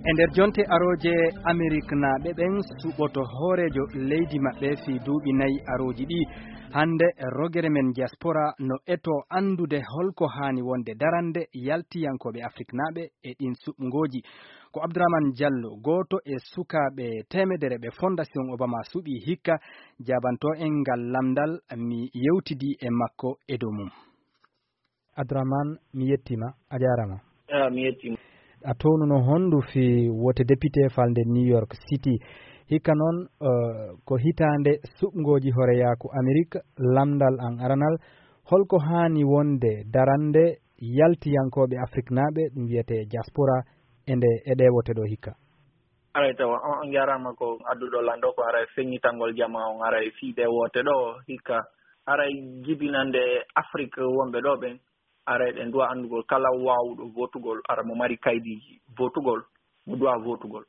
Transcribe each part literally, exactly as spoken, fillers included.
E nder jonte arooje, Ameriknaaɓe ɓen suɓoto hooreejo leydi maɓɓe fii duuɓi nayi arooji ɗi. Hannde, rogere men diaspora no eto anndude holko haani wonde darande yaltiyankooɓe Afriknaaɓe e ɗin suɓngooji. Ko Abdourahmane Diallo, gooto e sukaaɓe teemedere ɓe Fondation Obama suɓi hikka, jaabanto en ngal lamndal, mi yewtidi e makko e dow mum. Abdourahmane, mi yettiima, a jaaraama. Ah, mi yettiima. A townuno honndu fii wote député falnde New York City. Hikka non, eh, ko hitaande suɓngooji horeyaaku Amerik, lamndal an aranal. Holko haani wonde darande yaltiyankooɓe Afriknaaɓe, ɗum wiyetee diaspora, e nde, e ɗee wote ɗoo hikka? Aray tawa on, on njaaraama ko adduɗo lanndo ko aray feññitangol jamaa on, aray fii ɗee wote ɗoo hikka, aray jibinande Afrik wonɓe ɗoo ɓen, aray ɗen duwa anndugol kala waawuɗo votugol, ara mo mari kaydiiji votugol, mo duwa votugol.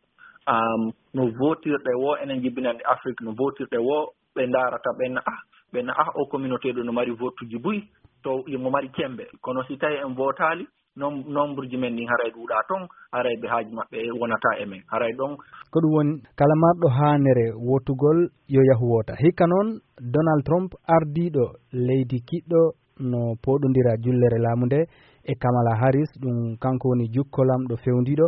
Am, no votirɗe wo, enen jibinande Afrik, no votirɗe wo, ɓe ndaarata, ɓen ah, ɓen ah, o communauté ɗo no mari votuji buy, to mo mari cembe. Kono si tawi en votaali, nom-, nombre ji men ɗin haray ɗuuɗaa ton, haray ɓe haaju maɓɓe wonata e men. Haray ɗon. Ko ɗum woni, kala marɗo haanere wotugol yo yahu wota. Hikka non, Donald Trump, ardiiɗo leydi kiɗɗo, no pooɗondira jullere laamu nde e Kamala Harris, ɗum kanko woni jukkolamɗo fewndiiɗo.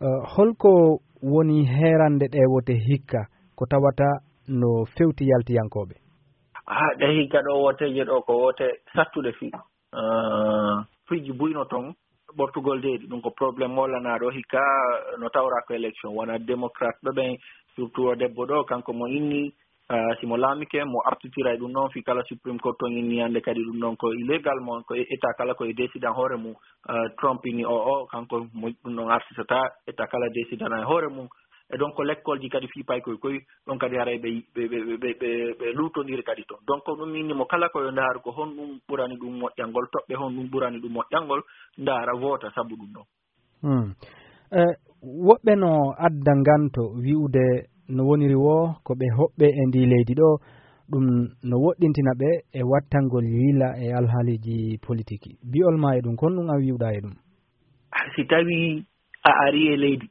Eh, holko woni heerande ɗee wote hikka ko tawata no fewti yaltiyankooɓe? Ah, ɗe hikka ɗo woteeje ɗo ko wote sattuɗe fii. Ah, piiji buy no ton, ɓortugol deedi, ɗum ko problème mo lanaaɗo hikka no tawra ko élection. Wona démocrate ɓe ɓen, surtout o debbo ɗo, kanko mo inni, ah, si mo laamike, mo artitira e ɗum ɗon, fii kala Supreme Court ton inni hannde kadi ɗum ɗon ko illégal mo, ko e-, état kala ko e décider hoore mum. Ah, Trump inni o, o, kanko mo ɗum ɗon artitata, état kala décidana e hoore mum. E donc ko lekkolji kadi fii paykoy koy, ɗon kadi haray ɓe, ɓe, ɓe luutondiri kadi ton. Donc ko ɗum inni mo kala ko yo ndaaru ko honɗum ɓurani ɗum moƴƴangol, toɓɓe honɗum ɓurani ɗum moƴƴangol, ndaara, voota sabu ɗum ɗon. Hmm. Eh, woɓɓe no adda nganto wi'ude no woniri wo ko ɓe hoɓɓe e ndi leydi ɗo, ɗum no woɗɗintina ɓe e wattangol yila e alhaaliiji politiki. Bi'ol ma e ɗum, kon ɗum a wi'uɗa e ɗum? Si tawi a ari e leydi,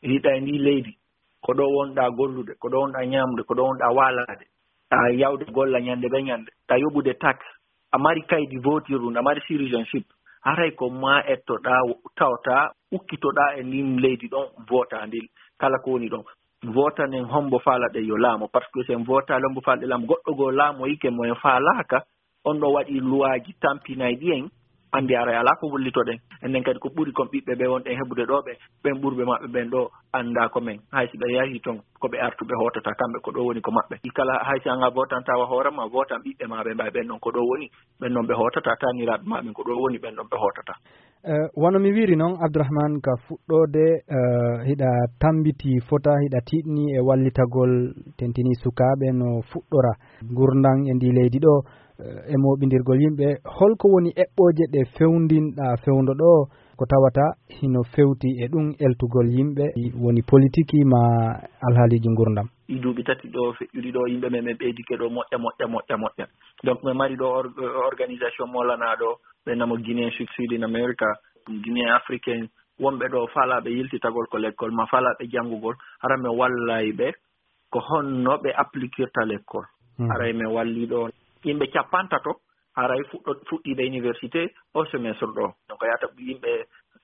hiɗa e ndi leydi, ko ɗo wonɗa gollude, ko ɗo wonɗa ñamde, ko ɗo wonɗa walaade, a yawde golla ñande be ñande, a yoɓude taxe, a mari kaydi votirɗum, a mari citizenship, haray ko ma ettoɗa, tawta, ukkitoɗa e ndin leydi ɗon, vota ndin, kala ko woni ɗon. Votanen hombo faalaɗen yo laamo, par ce que si en votaali hombo faalaɗen laamo, goɗɗo goo laamoyike mo en faalaaka, on ɗo waɗi luwaaji tampinayɗi en, anndi haray alaa ko wullitoɗen. Enen kadi ko ɓuri kon ɓiɓɓe ɓe wonɗen heɓude ɗo ɓe, ɓen ɓurɓe maɓɓe ɓen ɗo anndaa ko men. Hay si ɓe yahi ton, ko ɓe artuɓe hootata, kamɓe ko ɗo woni ko maɓɓe. I kala hay si an a votan tawa hoore ma, votan ɓiɓɓe ma ɓe mbay ɓen ɗon ko ɗo woni, ɓen ɗon ɓe hootata, taniraaɓe ma ɓen ko ɗo woni, ɓen ɗon ɓe hootata. Eh, wano mi wiiri non, Abdourahmane, ka fuɗɗoode, eh, hiɗa tambiti fota, hiɗa tiiɗni e wallitagol tentini sukaaɓe no fuɗɗora ngurndan e ndi leydi ɗo, eh, e mooɓindirgol yimɓe. Holko woni eɓɓooje ɗe fewndinɗa fewndo ɗo ko tawata hino fewti e ɗum eltugol yimɓe woni politiki ma alhaaliiji ngurdam? Ɗi duuɓi tati ɗo feƴƴuɗi ɗo, yimɓe men, men ɓeydike ɗo moƴƴa, moƴƴa, moƴƴa, moƴƴa. Donc, men mari ɗo or-, organisation mo lanaa ɗo, ɓe namo Guinéen Sud Sud in America, Guinéen Africain, wonɓe ɗo faalaaɓe yiltitagol ko lekkol, ma faalaaɓe janngugol, hara men wallay ɓe ko honno ɓe applikirta lekkol. Mhm. Haray men walli ɗo yimɓe cappantato, haray fuɗɗo-, fuɗɗiiɓe université o semestre ɗo. Donc, yaata yimɓe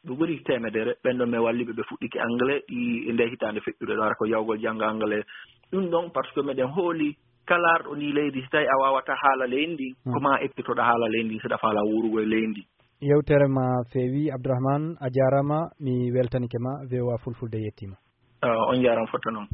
ɓe ɓuri teemedere, ɓen ɗon men walli ɓe, ɓe fuɗɗike anglais, ɗi, nde hitaande feƴƴude ɗo, hara ko yawgol jannga anglais. Ɗum ɗon, par ce que meɗen hooli kala arɗo ndi leydi, si tawi a waawata haala leydi ndi, Hmm. ko ma ekkitoɗa haala leydi ndi, seɗa faala wuurugol e leydi ndi. Yewtere ma feewi, Abdourahmane, a jaaraama, mi weltanike ma, V O A Fulfulde yettiima. Ah, on jaaraama fotta noon.